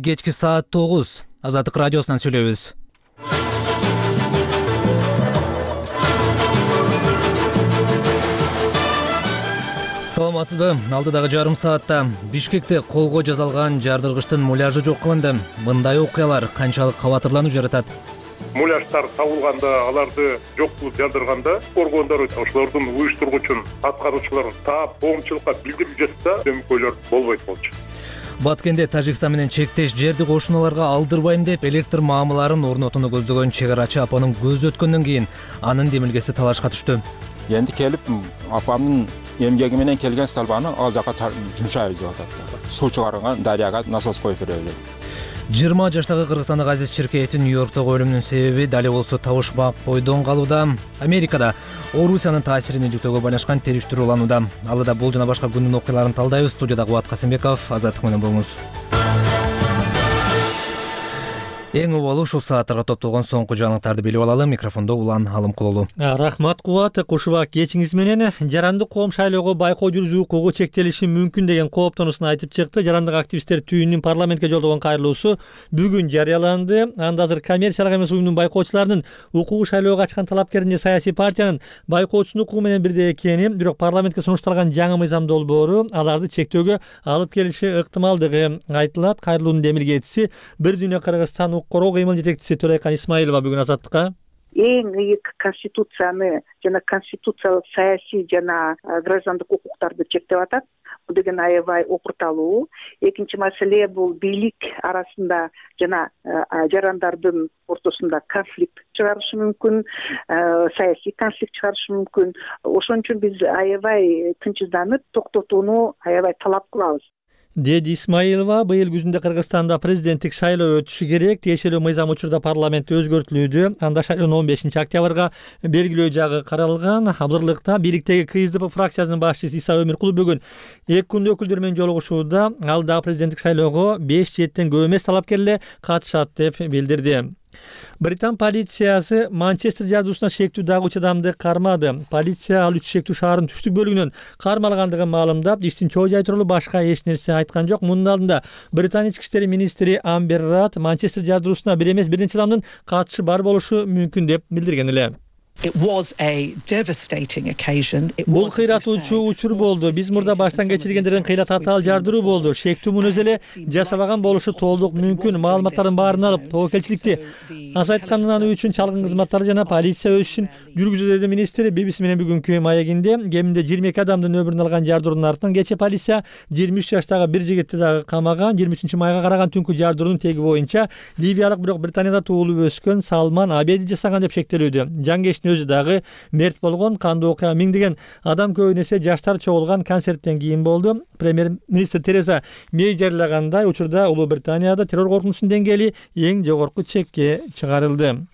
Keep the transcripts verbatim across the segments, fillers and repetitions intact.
Кечки саат тогуз. Азаттык радиосунан сүйлөйбүз. Саламатсызбы? Алдыдагы жарым саатта Бишкекте колго жасалган жардыргычтын муляжы жок кылынды. Мындай окуялар канчалык кабатырлануу жаратат? Муляждар табылганда, аларды жок кылып жардырганда, коргондор ошолордун уюштургучун аткаруучулар таап коомчулукка билдирип жатса, көмөкөйлөр болбойт болчу. Баткенде Тажикстан менен чектеш жерди кошуналарга алдырбайм деп электр маамыларын орнотууну көздөгөн чек арачы апанын көзү өткөндөн кийин анын демилгеси талашка түштү. Энди келип апамдын эмгеги менен келген столбаны ал жака жумшайбыз деп атат. Суу чыгарган дарыяга насос коюп беребиз. жыйырма жаштагы кыргызстандык Азиз Чиркеевдин Нью-Йорктогу өлүмүнүн себеби дали болсо табышмак бойдон калууда. Америкада Орусиянын таасирин иликтөөгө байланышкан териштирүү уланууда. Алда бул жана башка күндүн окуяларын талдайбыз. Студияда Кубат Касымбеков, Азаттык менен болуңуз. Эң убалы ушул сааттарга топтолгон соңку жаңылыктарды билип алалы. Микрофондо Улан Алымкулулу. Рахмат Кубат. Кушубак кечиңиз менен жарандык коом шайлоого байкоо жүргүзүү укугу чектелиши мүмкүн деген кооптонуусун айтып чыкты. Жарандык активисттер түйүнүн парламентке жолдогон кайрылуусу бүгүн жарыяланды. Анда азыр коммерциялык эмес уюмдун байкоочуларынын укугу шайлоого ачкан талапкеринде саясий партиянын байкоочусунун укугу менен бирдей экени, бирок парламентке сунушталган жаңы мыйзам долбоору аларды чектөөгө алып келиши ыктымалдыгы айтылат. Кайрылуунун демилгечиси Бир дүйнө Кыргызстан короо кыймыл жетекчиси Төрайкан Исмаилова бүгүн Азаттыкка эң ыйык конституцияны жана конституциялык саясий жана граждандык укуктарды чектеп атат. Бул деген аябай опурталуу. Экинчи маселе бул бийлик арасында жана жарандардын ортосунда конфликт чыгарышы мүмкүн, саясий конфликт чыгарышы мүмкүн. Ошон үчүн биз аябай тынчсызданып токтотууну аябай талап кылабыз, деди Исмаилова. Быйыл күзүндө Кыргызстанда президенттик шайлоо өтүшү керек. Тиешелүү мыйзам учурда парламентте өзгөртүлүүдө. Анда шайлоону он бешинчи октябрга белгилөө жагы каралган. Абдырлыкта бийликтеги КСДП фракциясынын башчысы Иса Өмүркулов бүгүн эки күндө өкүлдөр менен жолугушууда ал дагы президенттик шайлоого беш жеттен көп эмес талапкерлер катышат деп билдирди. Британ полициясы Манчестер жардуусуна шектүү дагы үч адамды кармады. Полиция ал үч шектүү шаардын түштүк бөлүгүнөн кармалгандыгын маалымдап, иштин чоо жай тууралуу башка эч нерсе айткан жок. Мунун алдында Британия ички иштер министри Амбер Рад Манчестер жардуусуна бир эмес бир нече адамдын катышы бар болушу мүмкүн деп билдирген эле. Бул кыйратуучу учур болду. Биз мурда баштан кечиргендердин кыйла татаал жардыруу болду. Шектүү муну өзү эле жасабаган болушу толук мүмкүн. Маалыматтардын баарын алып, тобокелчиликти азайткандан үчүн чалгын кызматтары жана полиция өз ишин жүргүзүүдө, деди министр. би би си менен бүгүнкү маегинде кеминде жыйырма эки адамдын өмүрүн алган жардыруунун артынан кечээ полиция жыйырма үч жаштагы бир жигитти дагы камаган. жыйырма үчүнчү майга караган түнкү жардыруунун теги боюнча ливиялык, бирок Британияда туулуп өскөн Салман Абеди жасаган деп шектелүүдө. Жаңгештин өзү дагы мерт болгон. Кандуу окуя миңдеген адам көбүн эсе жаштар чогулган концерттен кийин болду. Премьер-министр Тереза Мей жарыягандай учурда Улуу Британияда террор коркунучунун деңгээли эң жогорку чекке чыгарылды.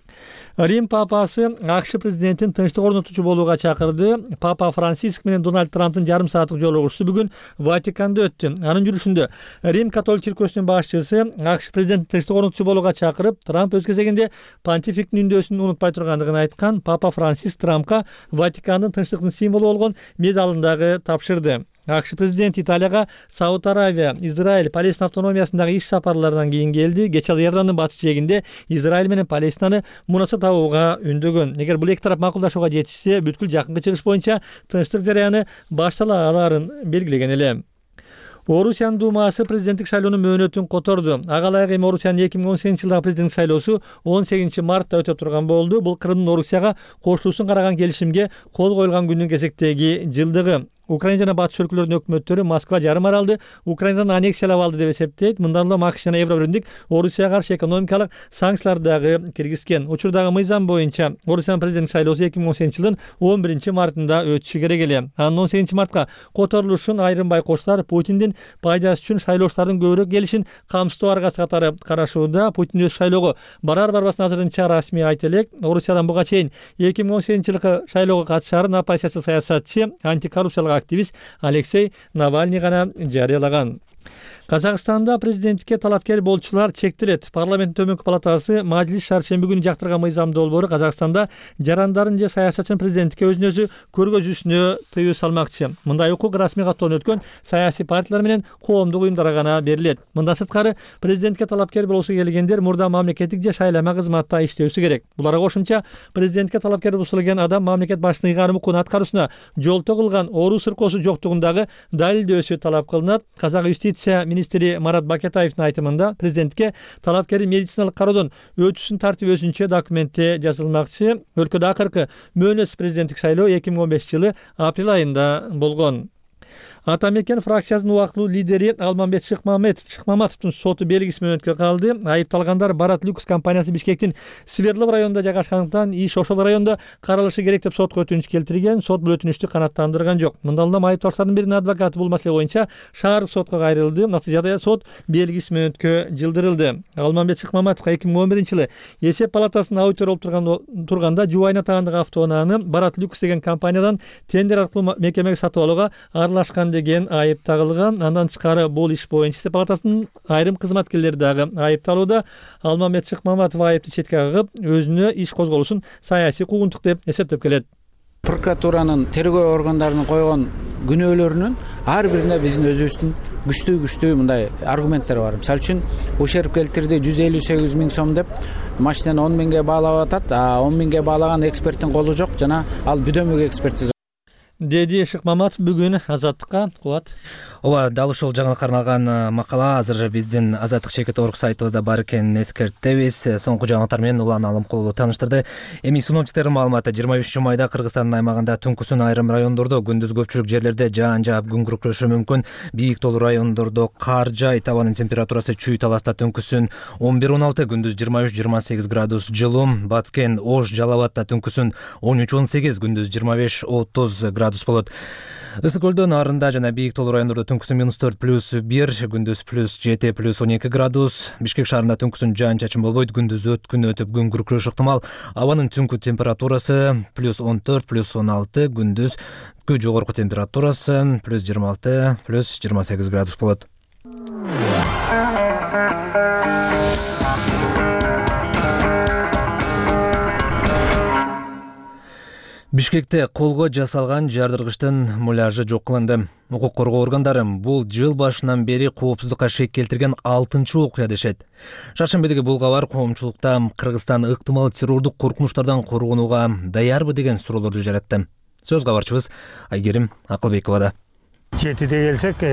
Рим папасы АКШ президентин тынчтык орнотуучу болууга чакырды. Папа Франциск менен Дональд Трамптын жарым сааттык жолугушуусу бүгүн Ватиканда өттү. Анын жүрүшүндө Рим католик чиркөөсүнүн башчысы АКШ президентин тынчтык орнотуучу болууга чакырып, Трамп өз кезегинде понтификтин үндөөсүн унутпай тургандыгын айткан. Папа Франциск Трампка Ватикандын тынчтыктын символу болгон медалын дагы тапшырды. АКШ президенти Италияга Сауд Аравия, Израиль, Палестина автономиясындагы иш сапарларынан кийин келди. Кечээ ал Иордандын батыш жээгинде Израиль менен Палестинаны мунаса табууга үндөгөн. Эгер бул эки тарап макулдашууга жетишсе, бүткүл жакынкы чыгыш боюнча тынчтык жарыяны баштала алаарын белгилеген эле. Орусиянын Думасы президенттик шайлоонун мөөнөтүн которду. Ага ылайык эми Орусиянын эки миң он сегизинчи жылдагы президенттик шайлоосу он сегизинчи мартта өтө турган болду. Бул Крымдын Орусияга кошулуусун караган келишимге кол коюлган күндүн кезектеги жылдыгы. Украина жана батыш өлкөлөрүнүн өкмөттөрү Москва жарым аралды Украинадан аннексиялап алды деп эсептейт. Мындан улам АКШ жана Евробиримдик Орусияга каршы экономикалык санкцияларды дагы киргизген. Учурдагы мыйзам боюнча Орусиянын президенттик шайлоосу эки миң он сегизинчи жылдын он биринчи мартында өтүшү керек эле. Анын он сегизинчи мартка которулушун айрым байкоочулар Путиндин пайдасы үчүн шайлоочулардын көбүрөөк келишин камсыздоо аргасы катары карашууда. Путин өз шайлоого барар барбасын азырынча расмий айта элек. Орусиядан буга чейин эки миң он сегизинчи жылкы шайлоого катышаарын оппозициялык саясатчы, антикоррупциялык активист Алексей Навальный гана жарыялаган. Казакстанда президенттикке талапкер болчулар чектелет. Парламенттин төмөнкү палатасы Мажлис шаршемби күнү жактырган мыйзам долбоору Казакстанда жарандардын же саясатчынын президенттикке өзүн өзү көргөзүүсүнө тыюу салмакчы. Мындай укук расмий каттоон өткөн саясий партиялар менен коомдук уюмдарга гана берилет. Мындан сырткары президентке талапкер болсо келгендер мурда мамлекеттик же шайлама кызматта иштөөсү керек. Буларга кошумча президентке талапкер болсо келген адам мамлекет башчысынын ыйгарым укугун аткаруусуна жолтоо кылган оору сыркоосу жоктугундагы далилдөөсү талап кылынат. Казак юстиция министри Марат Бакетаевдин айтымында президентке талапкердин медициналык кароодон өтүүсүн тартип өзүнчө документте жазылмакчы. Өлкөдө акыркы мөөнөтсүз президенттик шайлоо эки миң он бешинчи жылы апрель айында болгон. Ата мекен фракциясынын убактылуу лидери Алмамбет Шыкмаматовдун соту белгисиз мөөнөткө калды. Айыпталгандар Барат Люкс компаниясы Бишкектин Сверлов районунда жайгашкандыктан иш ошол райондо каралышы керек деп сотко өтүнүч келтирген. Сот бул өтүнүчтү канааттандырган жок. Мындан улам айыпталуучулардын биринин адвокаты бул маселе боюнча шаардык сотко кайрылды. Натыйжада сот белгисиз мөөнөткө жылдырылды. Алмамбет Шыкмаматовго эки миң он биринчи жылы эсеп палатасынын аудитор болуп турганда Жубайна таандык автоунааны Барат Люкс деген компаниядан тендер аркылуу мекемеге сатып алууга аралашкан деген айып тагылган. Андан тышкары бул иш боюнча эсеп палатасынын айрым кызматкерлери дагы айыпталууда. Алмамбет Шыкмаматов айыпты четке кагып, өзүнө иш козголушун саясий куугунтук деп эсептеп келет. Прокуратуранын тергөө органдарынын койгон күнөөлөрүнүн ар бирине биздин өзүбүздүн күчтүү күчтүү мындай аргументтер бар. Мисалы үчүн ушерп келтирди жүз элүү сегиз миң сом деп машинаны он миңге баалап атат, а он миңге баалаган эксперттин колу жок жана ал бүдөмүк экспертиза деди Шыкмаматов бүгүн Азаттыкка. Кубат. Ооба, дал ушул жаңылыкка арналган макала азыр биздин Азаттык чекит орг сайтыбызда бар экенин эскертебиз. Соңку жаңылыктар менен Улан Алымкулов таныштырды. Эми синоптиктердин маалыматы жыйырма бешинчи майда Кыргызстандын аймагында түнкүсүн айрым райондордо, күндүз көпчүлүк жерлерде жаан жаап күн күркүрөшү мүмкүн. Бийик тоолуу райондордо кар жаайт. Абанын температурасы чүй таласта түнкүсүн он бир он алты, күндүз жыйырма үч жыйырма сегиз градус жылуу. Баткен, Ош, Жалал Абадта түнкүсүн он үч он сегиз, күндүз жыйырма беш отуз градус болот. Ысык көлдө, Нарында жана Бийик тоолуу райондордо түнкүсүн минус төрт плюс бир, күндүз плюс жети плюс он эки градус. Бишкек шаарында түнкүсүн жаан чачын болбойт, күндүз өткүн өтүп күн күркүрөшү ыктымал. Абанын түнкү температурасы плюс он төрт плюс он алты, күндүз күү жогорку температурасы плюс жыйырма алты плюс жыйырма сегиз градус болот. Бишкекте колго жасалган жардыргычтын муляжы жок кылынды. Укук коргоо органдары бул жыл башынан бери коопсуздукка шек келтирген алтынчы окуя дешет. Шаршембидеги бул кабар коомчулукта Кыргызстан ыктымал террордук коркунучтардан коргонууга даярбы деген суроолорду жаратты. Сөз кабарчыбыз Айгерим Акылбековада. Жетиде келсек,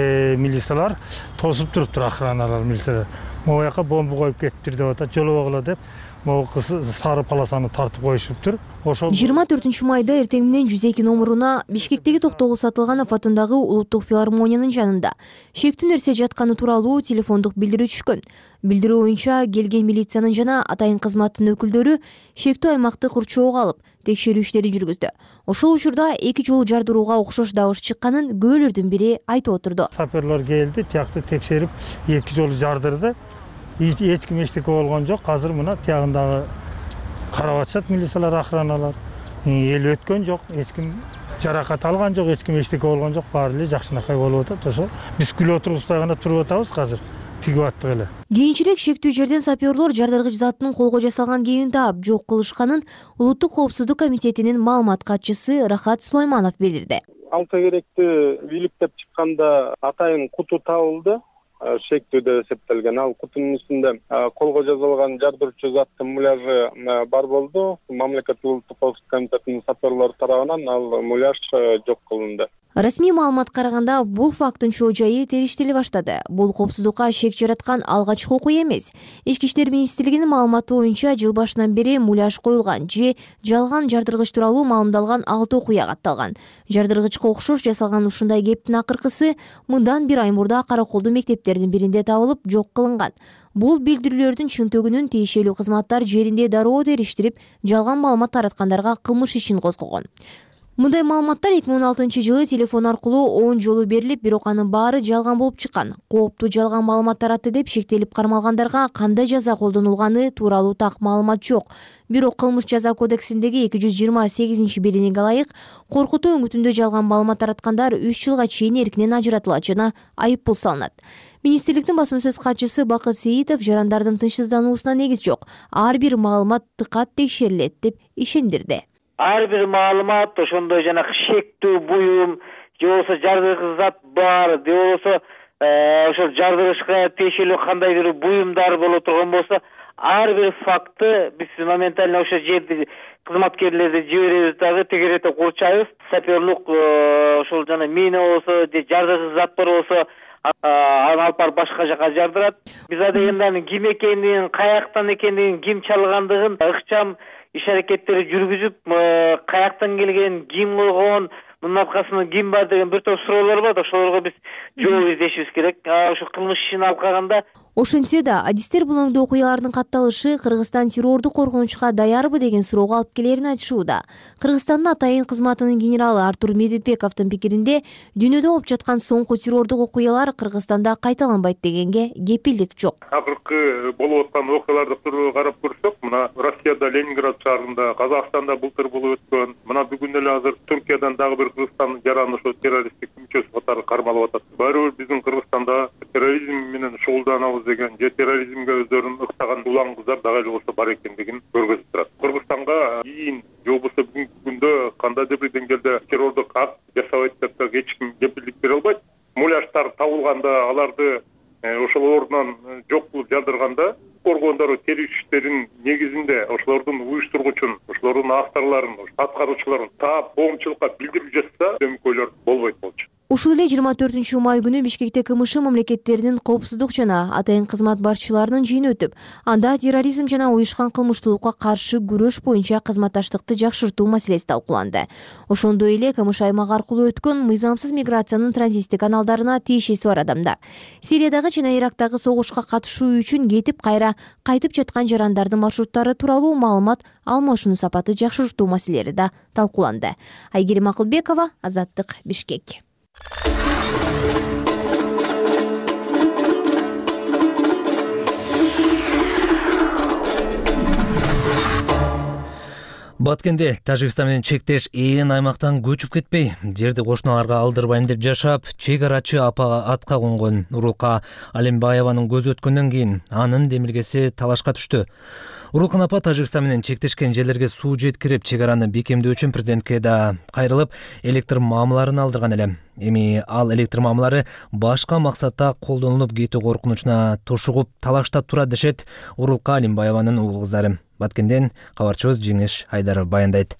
милициялар тосуп туруптур, охраналар, милициялар. Могу жака бомба коюп кетиптир деп атат, жолобогула деп. Могу кыз сары полосаны тартып коюшуптур. Ошол жыйырма төртүнчү майда эртең менен жүз эки номуруна Бишкектеги Токтогул Сатылганов атындагы Улуттук филармониянын жанында шектүү нерсе жатканы тууралуу телефондук билдирүү түшкөн. Билдирүү боюнча келген милициянын жана атайын кызматтын өкүлдөрү шектүү аймакты курчоого алып, текшерүү иштерин жүргүздү. Ошол учурда эки жолу жардырууга окшош дабыш чыкканын күбөлөрдүн бири айтып отурду. Саперлер келди, тиякты текшерип, эки жолу жардырды. Эч ким эчтеке болгон жок. Азыр мына тиягындагы карап атышат милициялар, охраналар. Эл өткөн жок, эч ким жаракат алган жок, эч ким эчтеке болгон жок. Баары эле жакшынакай болуп атат. Ошо биз күлүп отурбузбай гана туруп атабыз азыр. Тигип аттык эле. Кийинчерээк шектүү жерден саперлор жардыргыч заттын колго жасалган кийимин таап жок кылышканын Улуттук коопсуздук комитетинин маалымат катчысы Рахат Сулайманов билдирди. Алса керекти бийликтеп чыкканда атайын куту табылды. Шектүүдө эсептелген. Ал кутунун үстүндө колго жазылган жардыруучу заттын муляжы бар болду. Мамлекеттик улуттук коопсуздук комитетинин саперлери тарабынан ал муляж жок кылынды. Расмий маалыматка караганда бул факттын чоо жайы териштеле баштады. Бул коопсуздукка шек жараткан алгачкы окуя эмес. Ички иштер министрлигинин маалыматы боюнча жыл башынан бери муляж коюлган же жалган жардыргыч тууралуу маалымдалган алты окуя катталган. Жардыргычка окшош жасалган ушундай кептин акыркысы мындан бир ай мурда Караколдуу мектептердин биринде табылып жок кылынган. Бул билдирүүлөрдүн чынтөгүнүн тиешелүү кызматтар жеринде дароо териштирип, жалган маалымат тараткандарга кылмыш ишин козгогон. Мындай маалыматтар эки миң он алтынчы жылы телефон аркылуу он жолу берилип, бирок анын баары жалган болуп чыккан. Кооптуу жалган маалымат таратты деп шектелип кармалгандарга кандай жаза колдонулганы тууралуу так маалымат жок. Бирок кылмыш жаза кодексиндеги эки жүз жыйырма сегизинчи белиниге ылайык коркутуу өңүтүндө жалган маалымат тараткандар үч жылга чейин эркинен ажыратылат жана айып пул салынат. Министрликтин басма сөз катчысы Бакыт Сейитов жарандардын тынчсыздануусуна негиз жок. Ар бир маалымат тыкат текшерилет деп ишендирди. Ар бир маалымат ошондой жана шектүү буюм же болбосо жардыргыч зат бар, же болбосо ошол жардырышка тиешелүү кандайдыр буюмдар боло турган болсо, ар бир фактты биз моментально ошо жерди кызматкерлерди жиберебиз, дагы тегерете курчайбыз. Саперлук ошол жана мина болсо же жардыргыч заттар болсо аны алып барып башка жака жардырат. Биз адегенде ким экендигин, каяктан экендигин, ким чалгандыгын ыкчам иш аракеттери жүргүзүп, каяктан келген, ким койгон, мунун аркасында ким бар деген бир топ суроолор бар. Ошолорго биз жооп издешибиз керек. Ошо кылмыш ишин алып караганда ошентсе да адистер булоңдуу окуялардын катталышы Кыргызстан террордук коркунучка даярбы деген суроого алып келерин айтышууда. Кыргызстандын атайын кызматынын генералы Артур Медетбековдун пикиринде, дүйнөдө болуп жаткан соңку террордук окуялар Кыргызстанда кайталанбайт дегенге кепилдик жок. Акыркы болуп аткан окуяларды карап көрсөк, мына Россияда Ленинград шаарында, Казакстанда былтыр болуп өткөн, мына бүгүн эле азыр Түркиядан дагы бир Кыргызстан жараны ошо террористтик мүчөсү катары кармалып атат. Баары бир биздин Кыргызстанда терроризм менен шугулданабыз деген же терроризмге өздөрүн ыктаган улан кыздар дагы эле болсо бар экендигин көргөзүп турат. Кыргызстанга кийин же болбосо бүгүнкү күндө кандайдыр бир деңгээлде террордук акт жасабайт деп эч ким кепилдик бере албайт. Муляждар табылганда, аларды ошол ордунан жок кылып жардырганда, коргондору териштиштерин негизинде ошолордун уюштургучун, ошолордун авторлорун, аткаруучуларын таап коомчулукка билдирип жатса, көйгөйлөр болбойт болчу. Ушул эле жыйырма төртүнчү май күнү Бишкекте КМШ мамлекеттеринин коопсуздук жана атайын кызмат башчыларынын жыйыны өтүп, анда терроризм жана уюшкан кылмыштуулукка каршы күрөш боюнча кызматташтыкты жакшыртуу маселеси талкууланды. Ошондой эле КМШ аймагы аркылуу өткөн мыйзамсыз миграциянын транзиттик каналдарына тиешеси бар адамдар, Сириядагы жана Ирактагы согушка катышуу үчүн кетип кайра кайтып жаткан жарандардын маршруттары тууралуу маалымат алмашууну сапаты жакшыртуу маселелери да талкууланды. Айгерим Акылбекова, Азаттык, Бишкек. Баткенде Тажикстан менен чектеш ээн аймактан көчүп кетпей, жерди кошуналарга алдырбайм деп жашап, чек арачы апага атка конгон Урулка Алимбаеванын көзү өткөндөн кийин анын демилгеси талашка түштү. Урулкан апа Тажикстан менен чектешкен жерлерге суу жеткирип, чек араны бекемдөө үчүн президентке да кайрылып, электр маамыларын алдырган эле. Эми ал электр маамылары башка максатта колдонулуп кетүү коркунучуна тушугуп талаштап турат дешет Урулка Алимбаеванын уул кыздары. Баткенден кабарчыбыз Жеңиш Айдаров баяндайт.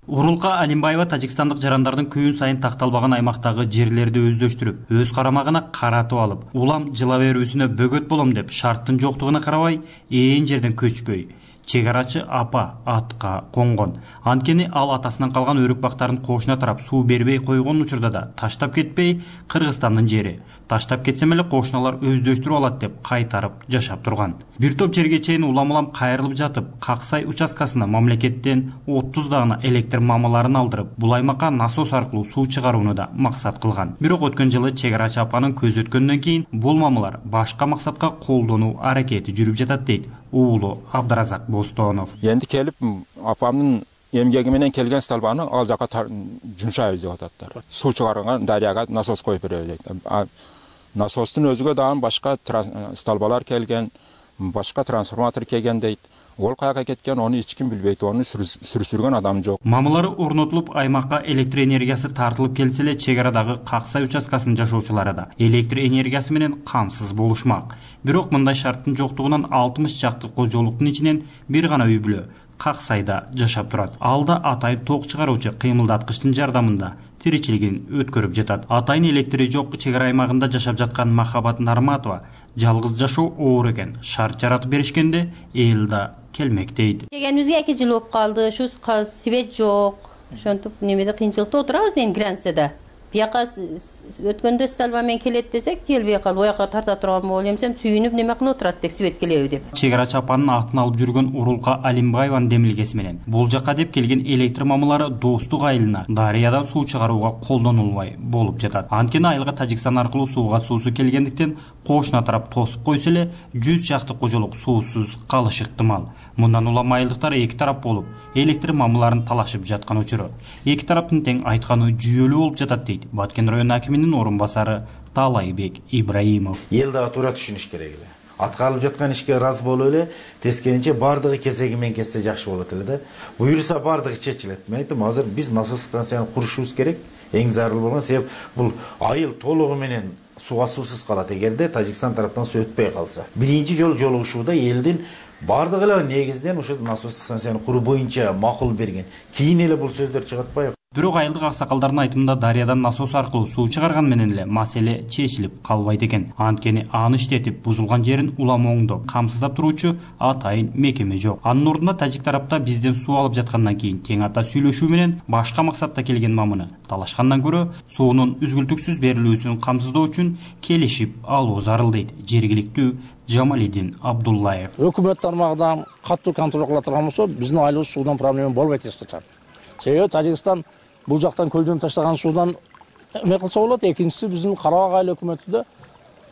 Урулка Алимбаева Тажикстандык жарандардын күн сайын такталбаган аймактагы жерлерди өздөштүрүп, өз карамагына каратып алып, улам жыла берүүсүнө бөгөт болом деп шарттын жоктугуна карабай, ээн жерден көчпөй, чек арачы апа атка конгон. Анткени ал атасынан калган өрүк бактарын кошуна тарап суу бербей койгон учурда да таштап кетпей, Кыргызстандын жери. Таштап кетсем эле кошуналар өздөштүрүп алат деп кайтарып жашап турган. Бир топ жерге чейин улам-улам кайрылып жатып, Каксай участкасына мамлекеттен отуз даана электр маамыларын алдырып, бул аймакка насос аркылуу суу чыгарууну да максат кылган. Бирок өткөн жылы чек арачы апанын көзү өткөндөн кийин бул маамылар башка максатка колдонуу аракети жүрүп жатат дейт уулу Абдыразак Бостонов. Энди келип апамдын эмгеги менен келген столбаны ал жака жумшайбыз деп ататтар. Суу чыгарган дарыяга насос коюп беребиз дейт. Насостун өзүгө дагы башка столбалар келген, башка трансформатор келген дейт. Ол каяка кеткен, оны эч ким билбейт, оны сүрүштүргөн адам жок. Маамылары орнотулуп, аймакка электр энергиясы тартылып келсе эле, чек арадагы Каксай участкасынын жашоочулары да электр энергиясы менен камсыз болушмак. Бирок мындай шарттын жоктугунан алтымыш чакты кожолуктун ичинен бир гана үй бүлө Каксайда жашап турат. Алда атайын ток чыгаруучу кыймылдаткычтын жардамында тиричилигин өткөрүп жатат. Атайын электри жок чек ара аймагында жашап жаткан Махабат Нарматова жалгыз жашоо оор экен, шарт жаратып беришкенде эл да келмек дейт. Келгенибизге эки жыл болуп калды, ушу свет жок. Ошентип немеде кыйынчылыкта отурабыз эми границада. Бияка өткөндө стальба менен келет десек, келбей калып, ояка тарта турган болуп эмсем, сүйүнүп неме кылып отурат деп свет келеби деп. Чек ара чапанын атын алып жүргөн Урулка Алимбаеванын демилгеси менен бул жакка деп келген электр мамылары Достук айылына дарыядан суу чыгарууга колдонулбай болуп жатат. Анткени айылга Тажикстан аркылуу сууга суусу келгендиктен кошуна тарап тосуп койсо эле жүз чакты кожолук суусуз калышы ыктымал. Мындан улам айылдыктар эки тарап болуп, электр мамыларын талашып жаткан учуру. Эки тараптын тең айтканы жүйөлүү болуп жатат дейт Баткен район акиминин орун басары Талайбек Ибраимов. Эл дагы туура түшүнүш керек эле. Аткарылып жаткан ишке ыраазы болуп эле, тескеринче бардыгы кесеги менен кетсе жакшы болот эле да. Буюрса бардыгы чечилет. Мен айттым, азыр биз насос станцияны курушубуз керек. Эң зарыл болгон себеп бул айыл толугу менен сууга суусуз калат эгерде Тажикстан тараптан суу өтпөй калса. Биринчи жолу жолугушууда элдин бардыгы эле негизинен ушул насостук станцияны куруу боюнча макул берген. Кийин эле бул сөздөр чыгып атпайбы? Бирок айылдык аксакалдардын айтымында дарыядан насос аркылуу суу чыгарган менен эле маселе чечилип калбайт экен. Анткени аны иштетип бузулган жерин улам оңдоп, камсыздап туруучу атайын мекеме жок. Анын ордуна тажик тарапта бизден суу алып жаткандан кийин тең ата сүйлөшүү менен башка максатта келген мамыны талашкандан көрө суунун үзгүлтүксүз берилүүсүн камсыздоо үчүн келишип алуу зарыл дейт жергиликтүү Жамалидин Абдуллаев. Өкмөт тармагынан катуу контроль кыла турган болсо, биздин айылыбыз суудан проблема болбойт эч качан. Себеби Тажикстан бул жактан көлдөн таштаган суудан эме кылса болот. Экинчиси биздин Карабак айыл өкмөтүндө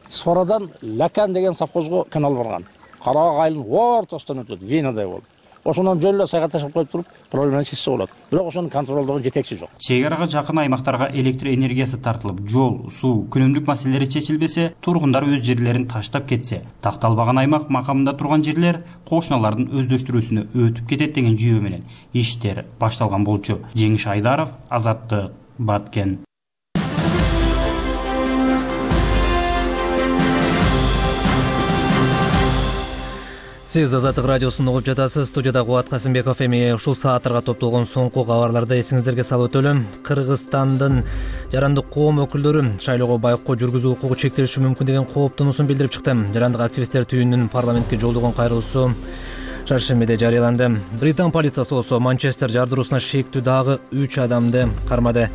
Сфарадан Лакан деген совхозго канал барган. Карабак айылын ортосунан өтөт, венадай болуп. Ошондон жөн эле сайга ташып коюп туруп, проблеманы чечсе болот. Бирок ошону контролдогон жетекчи жок. Чек арага жакын аймактарга электр энергиясы тартылып, жол, суу, күнүмдүк маселелери чечилбесе, тургундар өз жерлерин таштап кетсе, такталбаган аймак макамында турган жерлер кошуналардын өздөштүрүүсүнө өтүп кетет деген жүйө менен иштер башталган болчу. Жеңиш Айдаров, Азаттык, Баткен. Сиз Азаттык радиосун угуп жатасыз. Студияда Кубат Касымбеков. Эми ушул сааттарга топтолгон соңку кабарларды эсиңиздерге салып өтөлү. Кыргызстандын жарандык коом өкүлдөрү шайлоого байкоо жүргүзүү укугу чектелиши мүмкүн деген кооптонуусун билдирип чыкты. Жарандык активисттер түйүнүнүн парламентке жолдогон кайрылуусу шаршембиде жарыяланды. Британ полициясы болсо Манчестер жардыруусуна шектүү дагы үч адамды кармады.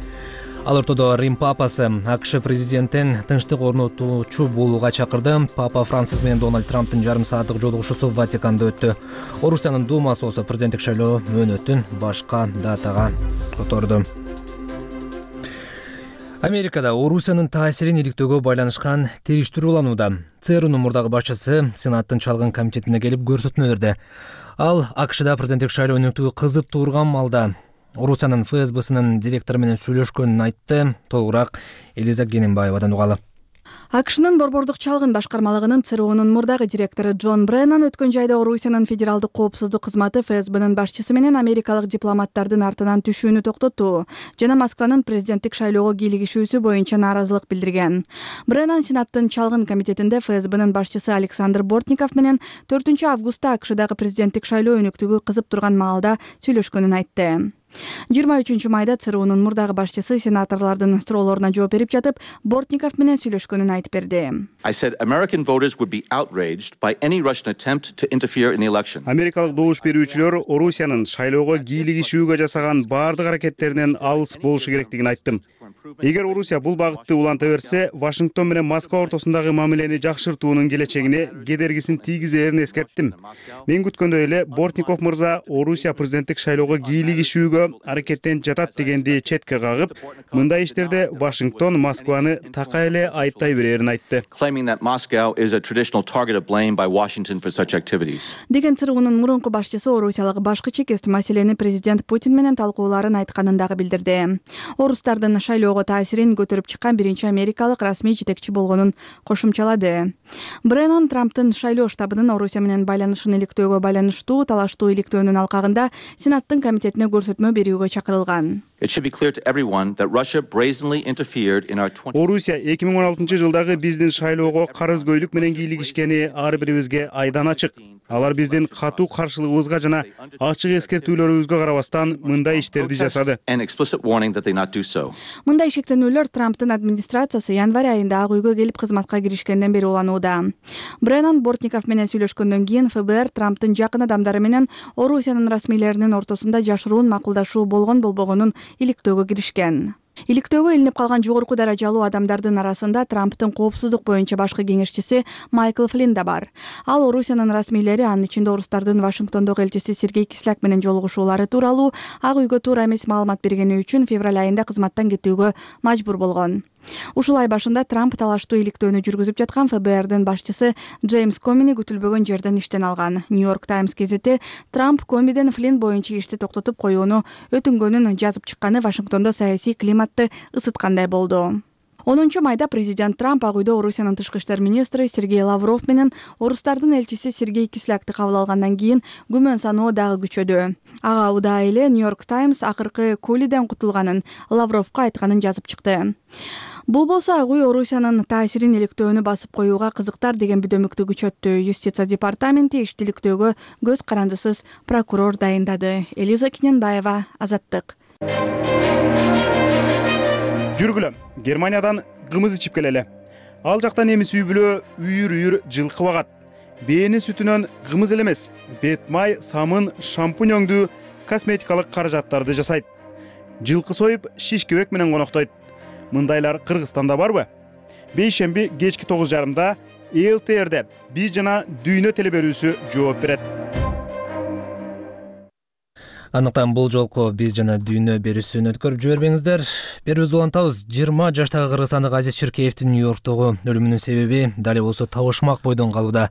Ал ортодо Рим папасы АКШ президентин тынчтык орнотуучу болууга чакырды. Папа Францис менен Дональд Трамптын жарым сааттык жолугушуусу Ватиканда өттү. Орусиянын Думасы болсо президенттик шайлоо мөөнөтүн башка датага которду. Америкада Орусиянын таасирин иликтөөгө байланышкан териштирүү уланууда. ЦРУнун мурдагы башчысы Сенаттын чалгын комитетине келип көрсөтмө берди. Ал АКШда президенттик шайлоо өнүктүгү кызып турган малда Орусиянын ФСБсынын директору менен сүйлөшкөнүн айтты. Толугураак Элиза Гененбаевадан угалы. АКШнын борбордук чалгын башкармалыгынын ЦРУнун мурдагы директору Джон Бреннан өткөн жайда Орусиянын федералдык коопсуздук кызматы ФСБнын башчысы менен америкалык дипломаттардын артынан түшүүнү токтотту жана Москванын президенттик шайлоого кийлигишүүсү боюнча нааразылык билдирген. Бреннан Сенаттын чалгын комитетинде ФСБнын башчысы Александр Бортников менен төртүнчү августта АКШдагы президенттик шайлоо өнүктүгү кызып турган маалда сүйлөшкөнүн айтты. жыйырма үчүнчү майда ЦРУнун мурдагы башчысы сенаторлордун суроолоруна жооп берип жатып, Бортников менен сүйлөшкөнүн айтып берди. Америкалык добуш берүүчүлөр Орусиянын шайлоого кийлигишүүгө жасаган баардык аракеттеринен алыс болушу керектигин айттым. Эгер Орусия бул багытты уланта берсе, Вашингтон менен Москва ортосундагы мамилени жакшыртуунун келечегине кедергисин тийгизерин эскерттим. Мен күткөндөй эле Бортников мырза Орусия президенттик шайлоого кийлигишүүгө аракеттенип жатат дегенди четке кагып, мындай иштерде Вашингтон Москваны такай эле айыптай берерин айтты. Деген ЦРУнун мурунку башчысы орусиялык башкы чекест маселени президент Путин менен талкууларын айтканын дагы билдирди. Орустардын шайлоого таасирин көтөрүп чыккан биринчи америкалык расмий жетекчи болгонун кошумчалады. Бреннан Трамптын шайлоо штабынын Орусия менен байланышын иликтөөгө байланыштуу талаштуу иликтөөнүн алкагында Сенаттын комитетине көрсөтмө берүүгө чакырылган. Орусия эки миң он алтынчы жылдагы биздин шайлоого карызгөйлүк менен кийлигишкени ар бирибизге айдан ачык. Алар биздин катуу каршылыгыбызга жана ачык эскертүүлөрүбүзгө карабастан мындай иштерди жасады. Мындай шектенүүлөр Трамптын администрациясы январь айында Ак үйгө келип кызматка киришкенден бери уланууда. Бреннан Бортников менен сүйлөшкөндөн кийин ФБР Трамптын жакын адамдары менен Орусиянын расмийлеринин ортосунда жашыруун макулдашуу болгон болбогонун иликтөөгө киришкен. Иликтөөгө илинип калган жогорку даражалуу адамдардын арасында Трамптын коопсуздук боюнча башкы кеңешчиси Майкл Флинн да бар. Ал Орусиянын расмийлери, анын ичинде орустардын Вашингтондогу элчиси Сергей Кисляк менен жолугушуулары тууралуу Ак үйгө туура эмес маалымат бергени үчүн февраль айында кызматтан кетүүгө мажбур болгон. Ушул ай башында Трамп талаштуу иликтөөнү жүргүзүп жаткан эф бэ эрдин башчысы Джеймс Комини күтүлбөгөн жерден иштен алган. Нью-Йорк Таймс гезити Трамп Комиден Флинн боюнча ишти токтотуп коюуну өтүнгөнүн жазып чыкканы Вашингтондо саясий климатты ысыткандай болду. онунчу майда президент Трамп Ак үйдө Орусиянын тышкы иштер министри Сергей Лавров менен орустардын элчиси Сергей Кислякты кабыл алгандан кийин күмөн саноо дагы күчөдү. Ага учурда эле Нью-Йорк Таймс акыркы Кулиден кутулганын Лавровго айтканын жазып чыкты. Бул болсо Ак үй Орусиянын таасирин иликтөөнү басып коюуга кызыктар деген бүдөмүктү күчөттү. Юстиция департаменти ишти иликтөөгө көз карандысыз прокурор дайындады. Элиза Киненбаева, Азаттык. Жүргүлө, Германиядан кымыз ичип келели. Ал жакта немис үй бүлө үйүр-үйүр жылкы багат. Бээни сүтүнөн кымыз эле эмес, бет май, самын, шампунь өңдүү косметикалык каражаттарды жасайт. Жылкы союп, шишкебек менен коноктойт. Мындайлар Кыргызстанда барбы? Бейшемби кечки тогуз жарымда эл тэ эрде биз жана дүйнө телеберүүсү жооп берет. Андыктан бул жолку биз жана дүйнө берүүсүн өткөрүп жибербеңиздер. Берүүбүздү улантабыз. жыйырма жаштагы кыргызстандык Азиз Чиркеевдин Нью-Йорктогу өлүмүнүн себеби дал болсо табышмак бойдон калууда.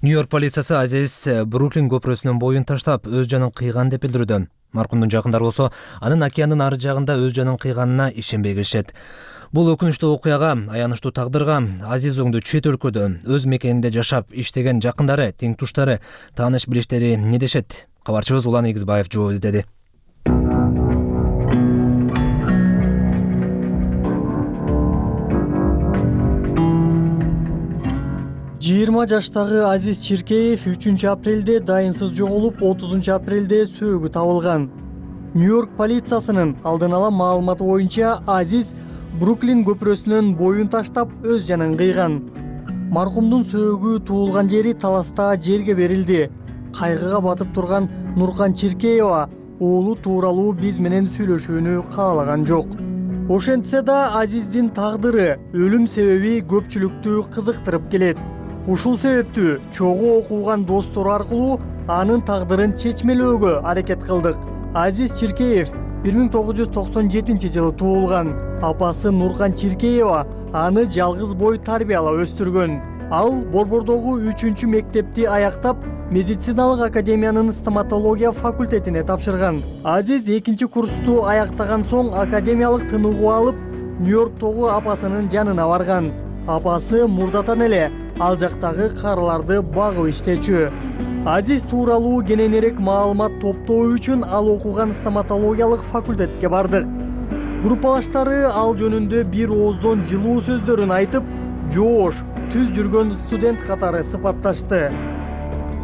Нью-Йорк полициясы Азиз Бруклин көпүрөсүнөн боюн таштап өз жанын кыйган деп билдирүүдө. Маркумдун жакындары болсо анын океандын ары жагында өз жанын кыйганына ишенбей келишет. Бул өкүнүчтүү окуяга, аянычтуу тагдырга Азиз оңду чет өлкөдө өз мекенинде жашап иштеген жакындары, тең туштары, тааныш билиштери эмне дешет? Кабарчыбыз Улан Эгизбаев жооп издеди. жыйырма жаштагы Азиз Чиркеев үчүнчү апрелде дайынсыз жоголуп, отузунчу апрелде сөөгү табылган. Нью-Йорк полициясынын алдын ала маалыматы боюнча Азиз Бруклин көпүрөсүнөн боюн таштап өз жанын кыйган. Маркумдун сөөгү туулган жери Таласта жерге берилди. Кайгыга батып турган Нуркан Чиркеева уулу тууралуу биз менен сүйлөшүүнү каалаган жок. Ошентсе да Азиздин тагдыры, өлүм себеби көпчүлүктү кызыктырып келет. Ушул себептүү чогуу окуган достору аркылуу анын тагдырын чечмелөөгө аракет кылдык. Азиз Чиркеев бир миң тогуз жүз токсон жетинчи жылы туулган. Апасы Нуркан Чиркеева аны жалгыз бой тарбиялап өстүргөн. Ал Борбордогу үчүнчү мектепти аяктап, медициналык академиянын стоматология факультетине тапшырган. Азиз экинчи курсту аяктаган соң академиялык тыныгуу алып, Нью-Йорктогу апасынын жанына барган. Апасы мурдатан эле ал жактагы карыларды багып иштечү. Азиз тууралуу кененирээк маалымат топтоо үчүн ал окуган стоматологиялык факультетке бардык. Группалаштары ал жөнүндө бир ооздон жылуу сөздөрүн айтып, жоош, түз жүргөн студент катары сыпатташты.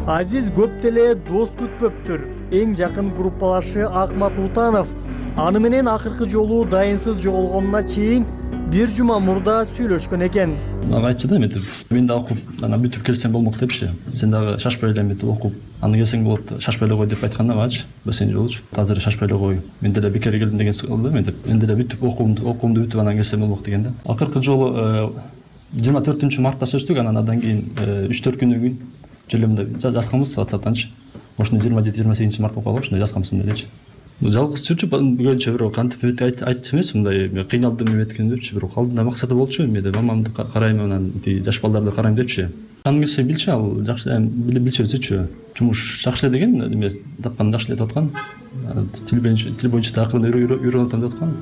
Азиз көп деле дос күтпөптүр. Эң жакын группалашы Акмат Утанов аны менен акыркы жолу дайынсыз жоголгонуна чейин бир жума мурда сүйлөшкөн экен. Ага айтчы да эметип, мен да окуп, ана бүтүп келсем болмок депчи. Сен дагы шашпай эле эметип окуп, аны келсең болот, шашпай эле кой деп айтканда багычы. Бассейн жолучу. Азыр шашпай эле кой. Мен деле бекер келдим деген сыкылды мен деп. Мен деле бүтүп окуумду, окуумду бүтүп анан келсем болмок деген да. Акыркы жолу жыйырма төртүнчү мартта сөздүк, анан андан кийин үч төрт күндөн кийин жөлөмдө жазганбыз WhatsApp'танчы. Ошондо жыйырма жети жыйырма сегизинчи март болуп калган, ошондо жазганбыз мындайчы. Жалгыз жүрчү көбүнчө бирок кантип айтчу эмес, мындай кыйналдым эметкен депчи, бирок алдында максаты болчу, мен деп мамамды карайм, анан жаш балдарды карайм депчи. Аны келсе билчү, ал жакшы билчү өзүчү. Жумуш жакшы эле деген, эме тапкан жакшы эле деп аткан. Тил боюнча тил боюнча такырында үйрөнүп атам деп аткан.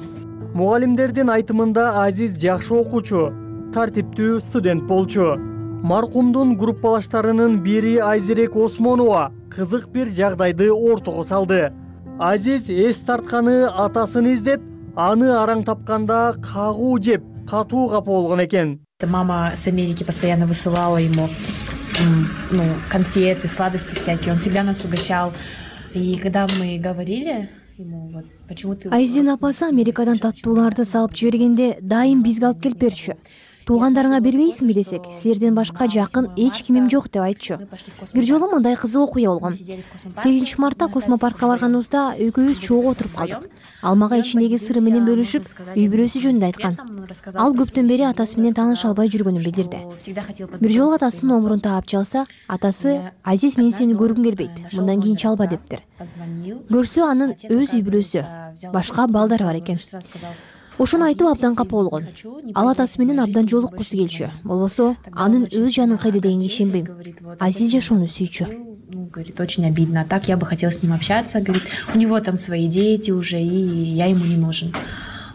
Мугалимдердин айтымында Азиз жакшы окуучу, тартиптүү студент болчу. Маркумдун группалаштарынын бири Айзерек Осмонова кызык бир жагдайды ортого салды. Азиз эс тартканы атасын издеп, аны араң тапканда кагуу жеп, катуу капа болгон экен. Мама с Америки постоянно высылала ему ну, конфеты, сладости всякие. Он всегда нас угощал. И когда мы говорили ему, вот, почему ты... Айзин апасы Америкадан таттууларды салып жибергенде дайым бизге алып келип берчү. туугандарыңа бербейсиңби десек, силерден башка жакын эч кимим жок деп айтчу. Бир жолу мындай кызык окуя болгон. сегизинчи мартта космопаркка барганыбызда экөөбүз чогуу отуруп калдык. Ал мага ичиндеги сыры менен бөлүшүп, үй бүлөсү жөнүндө айткан. Ал көптөн бери атасы менен тааныша албай жүргөнүн билдирди. Бир жолу атасынын номурун таап чалса, атасы: "Азиз, мен сени көргүм келбейт. Мындан кийин чалба" дептир. Көрсө, анын өз үй бүлөсү, башка балдары бар экен. Ошону айтып абдан капа болгон. Ал атасы менен абдан жолуккусу келчү. Болбосо, анын өз жанын кайда дегенге ишенбейм. Азиз жашоону сүйчү. Ну, говорит, очень обидно. А так я бы хотела с ним общаться. Говорит, у него там свои дети уже, и я ему не нужен.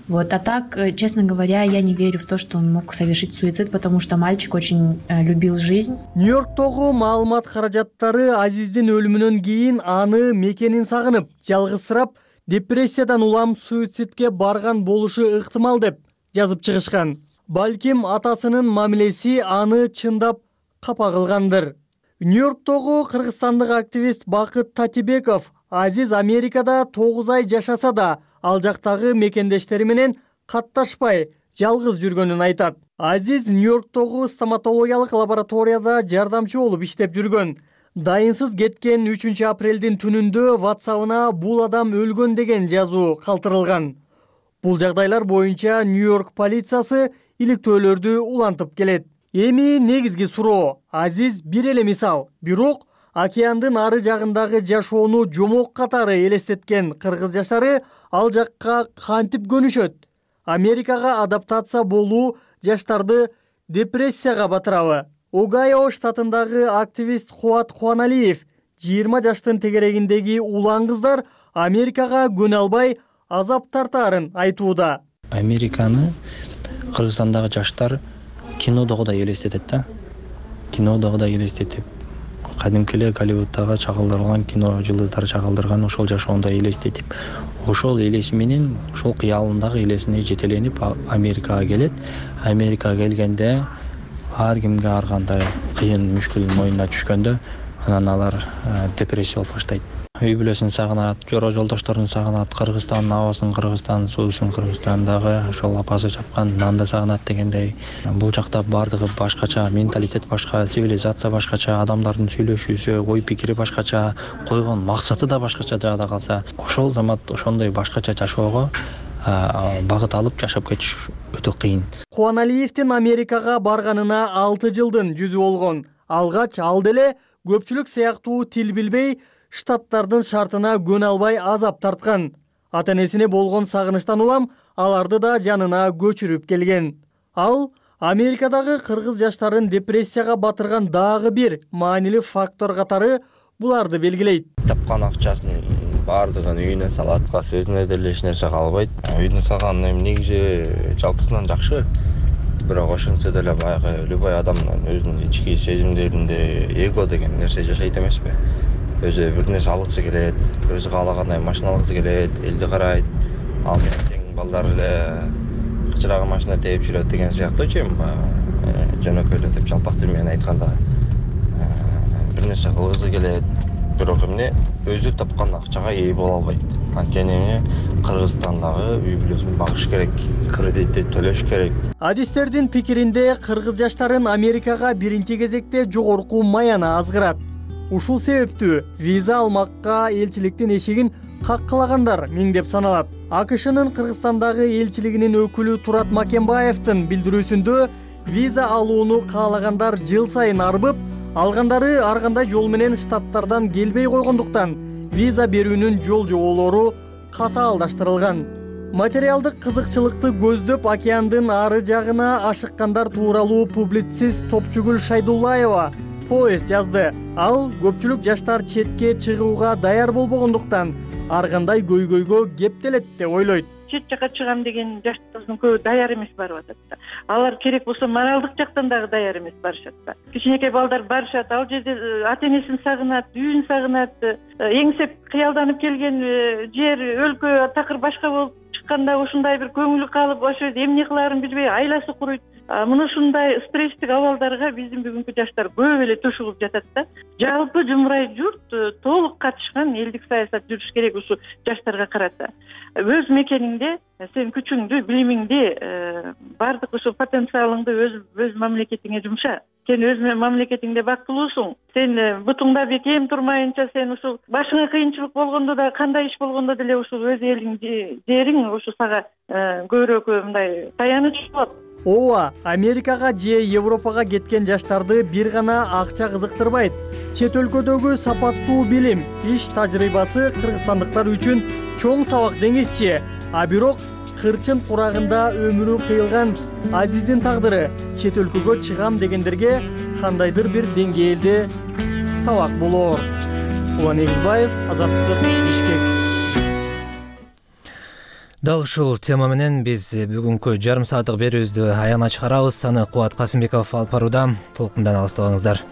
Вот. А так, честно говоря, я не верю в то, что он мог совершить суицид, потому что мальчик очень э, любил жизнь. Нью-Йорктогу маалымат каражаттары Азиздин өлүмүнөн кийин аны мекенин сагынып, жалгызсырап, депрессиядан улам суицидке барган болушу ыктымал деп жазып чыгышкан. Балким атасынын мамилеси аны чындап капа кылгандыр. Нью-Йорктогу кыргызстандык активист Бакыт Татибеков Азиз Америкада тогуз ай жашаса да, ал жактагы мекендештери менен катташпай, жалгыз жүргөнүн айтат. Азиз Нью-Йорктогу стоматологиялык лабораторияда жардамчы болуп иштеп жүргөн. Дайынсыз кеткен үчүнчү апрелдин түнүндө WhatsApp-ына бул адам өлгөн деген жазуу калтырылган. Бул жагдайлар боюнча Нью-Йорк полициясы иликтөөлөрдү улантып келет. Эми негизги суроо: Азиз бир эле мисал, бирок океандын ары жагындагы жашоону жомок катары элестеткен кыргыз жаштары ал жакка кантип көнүшөт? Америкага адаптация болуу жаштарды депрессияга батырабы? Огайо штатындагы активист Кубат Кубаналиев жыйырма жаштын тегерегиндеги улан кыздар Америкага көнө албай азап тартаарын айтууда. Американы Кыргызстандагы жаштар кинодогудай элестетет да. Кинодогудай элестетип, кадимки эле Голливудтагы чагылдырылган кино жылдыздары чагылдырган ошол жашоондай элестетип, ошол элеси менен, ошол кыялындагы элесине жетеленип Америкага келет. Америкага келгенде ар кимге ар кандай кыйын мүшкүл моюнуна түшкөндө, анан алар депрессия болуп баштайт. Үй бүлөсүн сагынат, жора жолдошторун сагынат, Кыргызстандын абасын, Кыргызстандын суусун, Кыргызстандагы ошол апасы чапкан нанды сагынат дегендей. Бул жакта бардыгы башкача, менталитет башка, цивилизация башкача, адамдардын сүйлөшүүсү, ой пикири башкача, койгон максаты да башкача жагда калса, ошол замат ошондой башкача жашоого багыт алып жашап кетиш өтө кыйын. Кубаналиевдин Америкага барганына алты жылдын жүзү болгон. Алгач ал деле көпчүлүк сыяктуу тил билбей, штаттардын шартына көнө албай азап тарткан. Ата-энесине болгон сагынычтан улам аларды да жанына көчүрүп келген. Ал Америкадагы кыргыз жаштарын депрессияга батырган дагы бир маанилүү фактор катары буларды белгилейт. Тапкан акчасын бардыгын үйүнө салат, өзүнө деле эч нерсе калбайт. Үйүнө салган негизи жалпысынан жакшы. Бирок ошентсе деле баягы любой адамдын өзүнүн ички сезимдеринде эго деген нерсе жашайт эмеспи? Өзү бир нерсе алгысы келет, өзү каалагандай машина алгысы келет, элди карайт. Ал менен тең балдар эле кычырагы машина тээп жүрөт деген сыяктуу чейин жөнөкөйлөтүп жалпак тил менен айтканда бир нерсе кылгысы келет, бирок эмне өзү тапкан акчага ээ боло албайт. Анткени Кыргызстандагы үй бүлөсүн багыш керек, кредитти төлөш керек. Адистердин пикиринде кыргыз жаштарын Америкага биринчи кезекте жогорку маяна азгырат. Ушул себептүү виза алмакка элчиликтин эшигин каккылагандар миңдеп саналат. АКШнын Кыргызстандагы элчилигинин өкүлү Турат Макенбаевдин билдирүүсүндө виза алууну каалагандар жыл сайын арбып, алгандары ар кандай жол менен штаттардан келбей койгондуктан виза берүүнүн жол жоболору катаалдаштырылган. Материалдык кызыкчылыкты көздөп океандын ары жагына ашыккандар тууралуу публицист Топчугүл Шайдуллаева пост жазды. Ал көпчүлүк жаштар четке чыгууга даяр болбогондуктан ар кандай көйгөйгө кептелет деп ойлойт. Чет жака чыгам деген жаштардын көбү даяр эмес барып атат да. Алар керек болсо моралдык жактан дагы даяр эмес барышат да. Кичинекей балдар барышат, ал жерде ата-энесин сагынат, үйүн сагынат, эңсеп кыялданып келген жер, өлкө такыр башка болуп чыкканда ушундай бир көңүлү калып, ошо жерде эмне кылаарын билбей айласы куруйт. мына ушундай стресстик абалдарга биздин бүгүнкү жаштар көп эле төшүгүп жатат да. Жалпы жумурай журт толук катышкан элдик саясат жүрүш керек ушу жаштарга карата. Өз мекениңде сен күчүңдү, билимиңди, баардык ушул потенциалыңды өз өз мамлекетиңе жумша. Сен өз мамлекетиңде бактылуусуң. Сен бутуңда бекем турмайынча, сен ушул башыңа кыйынчылык болгондо да, кандай иш болгондо деле ушул өз элиң, жериң ушу сага көбүрөөк мындай таяныч болот. Ооба, Америкага же Европага кеткен жаштарды бир гана акча кызыктырбайт. Чет өлкөдөгү сапаттуу билим, иш тажрыйбасы кыргызстандыктар үчүн чоң сабак деңизчи. А бирок кырчын курагында өмүрү кыйылган Азиздин тагдыры чет өлкөгө чыгам дегендерге кандайдыр бир деңгээлде сабак болоор. Улан Эгизбаев, Азаттык, Бишкек. Дал ушул тема менен биз бүгүнкү жарым сааттык берүүбүздү аягына чыгарабыз. Аны Кубат Касымбеков алып барууда. Толкундан алыстабаңыздар.